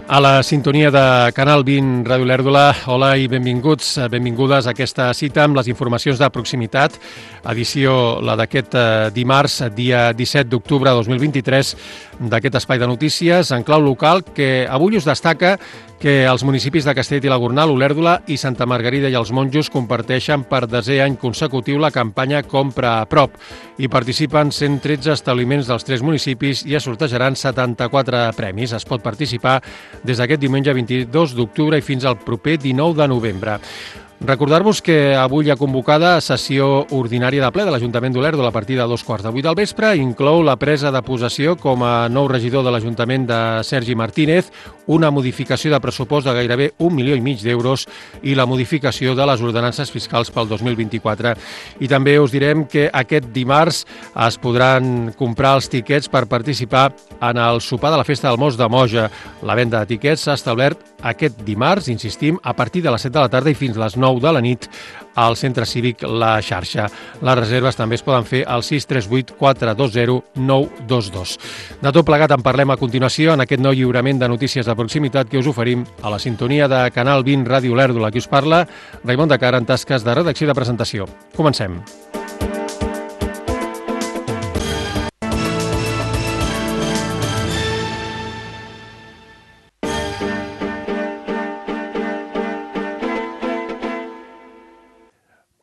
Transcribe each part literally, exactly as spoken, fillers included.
A la sintonia de Canal vint Ràdio Olèrdola, hola i benvinguts, benvingudes a aquesta cita amb les informacions de proximitat, edició la d'aquest dimarts, dia disset d'octubre de dos mil vint-i-tres, d'aquest espai de notícies en clau local que avui us destaca que els municipis de Castellet i la Gornal, Olèrdola i Santa Margarida i els Monjos comparteixen per desè any consecutiu la campanya Compra a prop. Hi participen cent tretze establiments dels tres municipis i es sortejaran setanta-quatre premis. Es pot participar des d'aquest diumenge vint-i-dos d'octubre i fins al proper dinou de novembre. Recordar-vos que avui hi ha convocada sessió ordinària de ple de l'Ajuntament d'Olèrdola a partir de dos quarts de vuit del vespre. Inclou la presa de possessió com a nou regidor de l'Ajuntament de Sergi Martínez, una modificació de pressupost de gairebé un milió i mig d'euros i la modificació de les ordenances fiscals pel dos mil vint-i-quatre. I també us direm que aquest dimarts es podran comprar els tiquets per participar en el sopar de la Festa del Mos de Moja. La venda de tiquets s'ha establert aquest dimarts, insistim, a partir de les set de la tarda i fins les nou de la nit al Centre Cívic La Xarxa. Les reserves també es poden fer al sis tres vuit quatre dos zero nou dos dos. De tot plegat en parlem a continuació en aquest nou lliurament de notícies de proximitat que us oferim a la sintonia de Canal vint Ràdio Olèrdola. Qui us parla, Raimon de Cara, en tasques de redacció i de presentació. Comencem.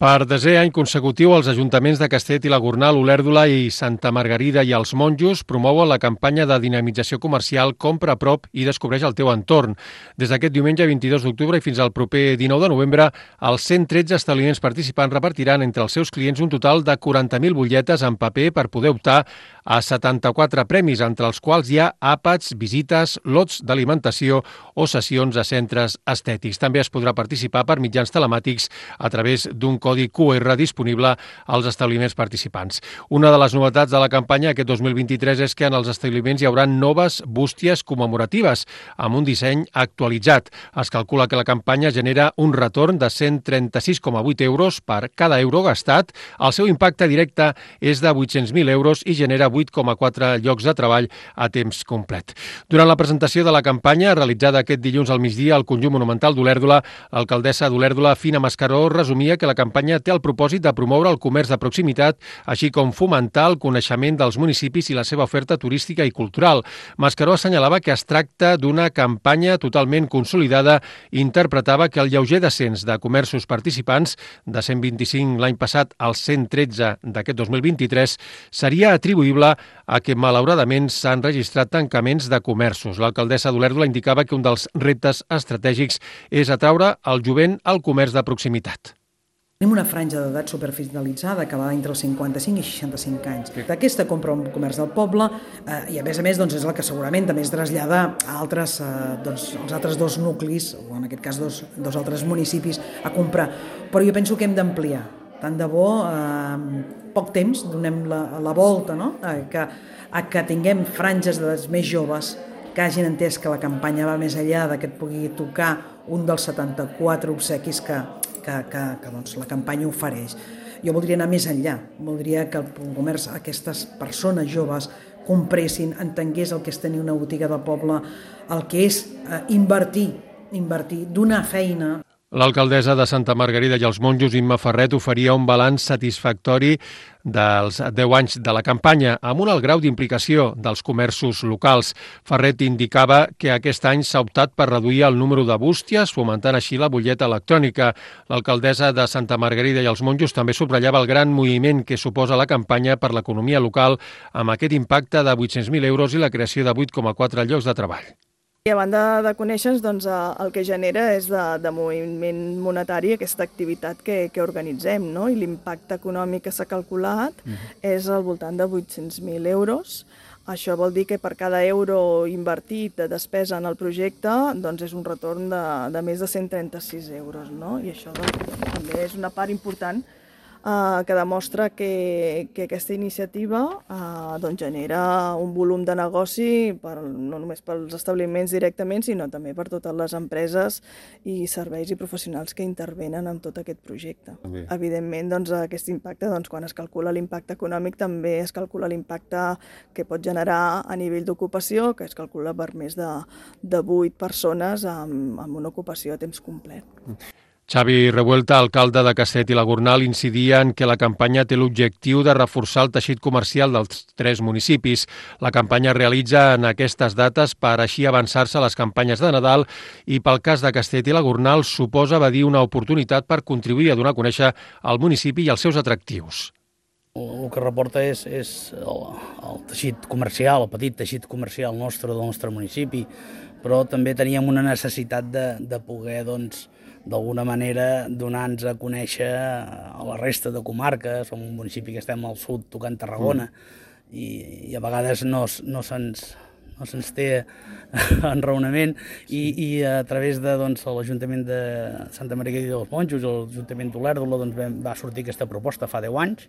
Per desè any consecutiu, els ajuntaments de Castellet i la Gornal, Olèrdola i Santa Margarida i els Monjos promouen la campanya de dinamització comercial Compra a prop i descobreix el teu entorn. Des d'aquest diumenge vint-i-dos d'octubre i fins al proper dinou de novembre, els cent tretze establiments participants repartiran entre els seus clients un total de quaranta mil butlletes en paper per poder optar a setanta-quatre premis, entre els quals hi ha àpats, visites, lots d'alimentació o sessions a centres estètics. També es podrà participar per mitjans telemàtics a través d'un codi Q R disponible als establiments participants. Una de les novetats de la campanya aquest dos mil vint-i-tres és que en els establiments hi haurà noves bústies commemoratives amb un disseny actualitzat. Es calcula que la campanya genera un retorn de cent trenta-sis coma vuit euros per cada euro gastat. El seu impacte directe és de vuit-cents mil euros i genera vuit coma quatre llocs de treball a temps complet. Durant la presentació de la campanya, realitzada aquest dilluns al migdia al Conjunt Monumental d'Olèrdola, l'alcaldessa d'Olèrdola, Fina Mascaró, resumia que la campanya té el propòsit de promoure el comerç de proximitat, així com fomentar el coneixement dels municipis i la seva oferta turística i cultural. Mascaró assenyalava que es tracta d'una campanya totalment consolidada i interpretava que el lleuger descens de comerços participants, de cent vint-i-cinc l'any passat als cent tretze d'aquest dos mil vint-i-tres, seria atribuïble a que, malauradament, s'han registrat tancaments de comerços. L'alcaldessa d'Olèrdola indicava que un dels reptes estratègics és atraure el jovent al comerç de proximitat. Tenim una franja d'edat superfinalitzada que va entre els cinquanta-cinc i seixanta-cinc anys. Aquesta compra un comerç del poble eh, i a més a més doncs, és la que segurament també es trasllada a altres, eh, doncs, als altres dos nuclis, o en aquest cas dos, dos altres municipis, a comprar. Però jo penso que hem d'ampliar. Tant de bo, eh, poc temps, donem la, la volta, no? a, que, a que tinguem franges d'edats més joves que hagin entès que la campanya va més enllà de que et pugui tocar un dels setanta-quatre obsequis que, que, que, que doncs, la campanya ofereix. Jo voldria anar més enllà, voldria que el comerç, aquestes persones joves compressin, entengués el que és tenir una botiga del poble, el que és eh, invertir, invertir, donar feina. L'alcaldessa de Santa Margarida i els Monjos, Imma Ferret, oferia un balanç satisfactori dels deu anys de la campanya, amb un alt grau d'implicació dels comerços locals. Ferret indicava que aquest any s'ha optat per reduir el número de bústies, fomentant així la butlleta electrònica. L'alcaldessa de Santa Margarida i els Monjos també subratllava el gran moviment que suposa la campanya per l'economia local, amb aquest impacte de vuit-cents mil euros i la creació de vuit coma quatre llocs de treball. I a banda de conèixer, doncs, el que genera és de, de moviment monetari aquesta activitat que, que organitzem, no? I l'impacte econòmic que s'ha calculat uh-huh. és al voltant de vuit-cents mil euros. Això vol dir que per cada euro invertit de despesa en el projecte doncs és un retorn de, de més de cent trenta-sis euros, no? I això doncs, també és una part important eh, que demostra que, que aquesta iniciativa eh, doncs genera un volum de negoci per, no només pels establiments directament, sinó també per totes les empreses i serveis i professionals que intervenen en tot aquest projecte. Bé. Evidentment, doncs, aquest impacte, doncs, quan es calcula l'impacte econòmic, també es calcula l'impacte que pot generar a nivell d'ocupació, que es calcula per més de, de vuit persones amb, amb una ocupació a temps complet. Xavi Revuelta, alcalde de Castellet i la Gornal, incidia en que la campanya té l'objectiu de reforçar el teixit comercial dels tres municipis. La campanya es realitza en aquestes dates per així avançar-se a les campanyes de Nadal i pel cas de Castellet i la Gornal suposa, va dir, una oportunitat per contribuir a donar a conèixer el municipi i els seus atractius. El que reporta és, és el, el teixit comercial, el petit teixit comercial nostre del nostre municipi, però també teníem una necessitat de, de poder, doncs, d'alguna manera donar-nos a conèixer a la resta de comarques. Som un municipi que estem al sud tocant Tarragona mm. i, i a vegades no, no se'ns no se'ns té enraonament i, i a través de doncs, l'Ajuntament de Santa Margarida dels Monjos i l'Ajuntament d'Olèrdola doncs, vam, va sortir aquesta proposta fa deu anys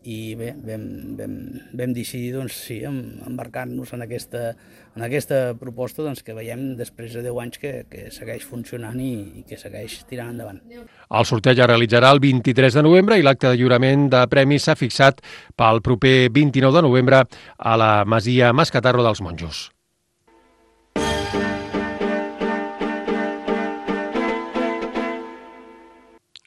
i bé, vam, vam, vam decidir doncs, sí, embarcar-nos en aquesta, en aquesta proposta doncs, que veiem després de deu anys que, que segueix funcionant i, i que segueix tirant endavant. El sorteig es realitzarà el vint-i-tres de novembre i l'acte de lliurament de premis s'ha fixat pel proper vint-i-nou de novembre a la Masia Mascatarro dels Monjos.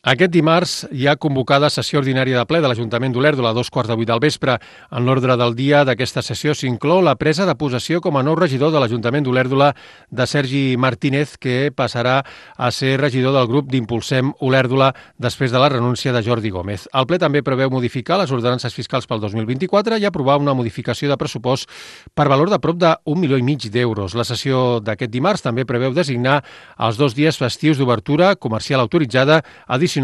Aquest dimarts hi ha convocada sessió ordinària de ple de l'Ajuntament d'Olèrdola a dos quarts de vuit del vespre. En l'ordre del dia d'aquesta sessió s'inclou la presa de possessió com a nou regidor de l'Ajuntament d'Olèrdola de Sergi Martínez, que passarà a ser regidor del grup d'Impulsem Olèrdola després de la renúncia de Jordi Gómez. El ple també preveu modificar les ordenances fiscals pel dos mil vint-i-quatre i aprovar una modificació de pressupost per valor de prop d'un milió i mig d'euros. La sessió d'aquest dimarts també preveu designar els dos dies festius d'obertura comercial autoritzada addicionals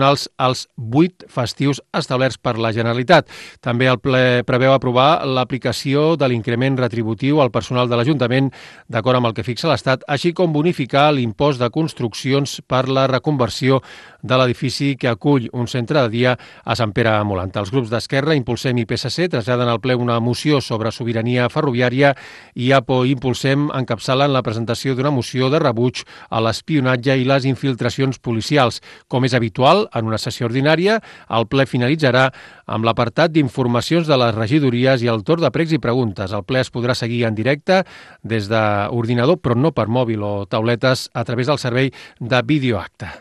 als vuit festius establerts per la Generalitat. També el ple preveu aprovar l'aplicació de l'increment retributiu al personal de l'Ajuntament d'acord amb el que fixa l'Estat, així com bonificar l'impost de construccions per la reconversió de l'edifici que acull un centre de dia a Sant Pere Molant. Els grups d'Esquerra, Impulsem i P S C traslladen al ple una moció sobre sobirania ferroviària i A P O i Impulsem encapçalen la presentació d'una moció de rebuig a l'espionatge i les infiltracions policials. Com és habitual, en una sessió ordinària, el ple finalitzarà amb l'apartat d'informacions de les regidories i el torn de pregs i preguntes. El ple es podrà seguir en directe des d'ordinador, però no per mòbil o tauletes, a través del servei de videoacte.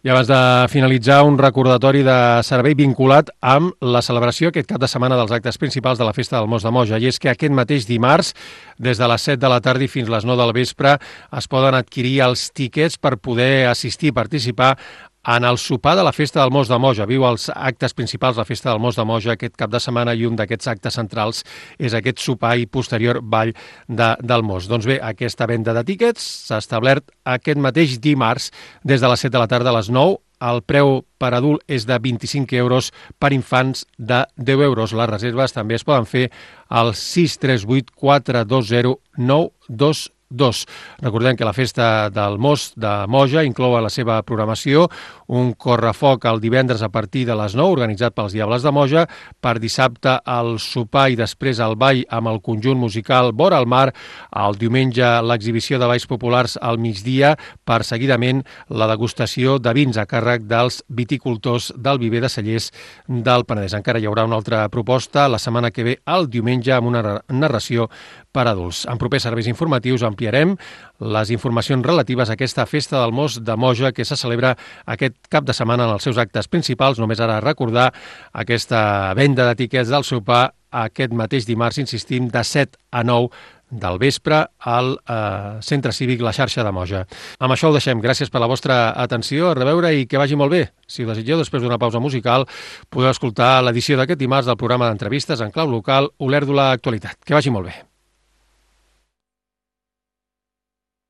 I abans de finalitzar, un recordatori de servei vinculat amb la celebració aquest cap de setmana dels actes principals de la Festa del Mos de Moja. I és que aquest mateix dimarts, des de les set de la tarda i fins les nou del vespre, es poden adquirir els tíquets per poder assistir i participar en el sopar de la Festa del Mos de Moja. Viu els actes principals de la Festa del Mos de Moja aquest cap de setmana i un d'aquests actes centrals és aquest sopar i posterior ball de, del Mos. Doncs bé, aquesta venda de tíquets s'ha establert aquest mateix dimarts des de les set de la tarda a les nou. El preu per adult és de vint-i-cinc euros, per infants de deu euros. Les reserves també es poden fer al sis tres vuit quatre dos zero nou dos dos. Recordem que la Festa del Mos de Moja inclou a la seva programació un correfoc el divendres a partir de les nou, organitzat pels Diables de Moja, per dissabte el sopar i després el ball amb el conjunt musical Vora al Mar, el diumenge l'exhibició de balls populars al migdia, per seguidament la degustació de vins a càrrec dels viticultors del Viver de Cellers del Penedès. Encara hi haurà una altra proposta la setmana que ve, el diumenge, amb una narració per adults. En propers serveis informatius ampliarem les informacions relatives a aquesta Festa del Mos de Moja que se celebra aquest cap de setmana en els seus actes principals. Només ara recordar aquesta venda de tiquets del sopar aquest mateix dimarts, insistim, de set a nou del vespre al eh, Centre Cívic La Xarxa de Moja. Amb això ho deixem. Gràcies per la vostra atenció, a reveure i que vagi molt bé. Si ho desitgeu, després d'una pausa musical, podeu escoltar l'edició d'aquest dimarts del programa d'entrevistes en clau local Olèrdola Actualitat. Que vagi molt bé.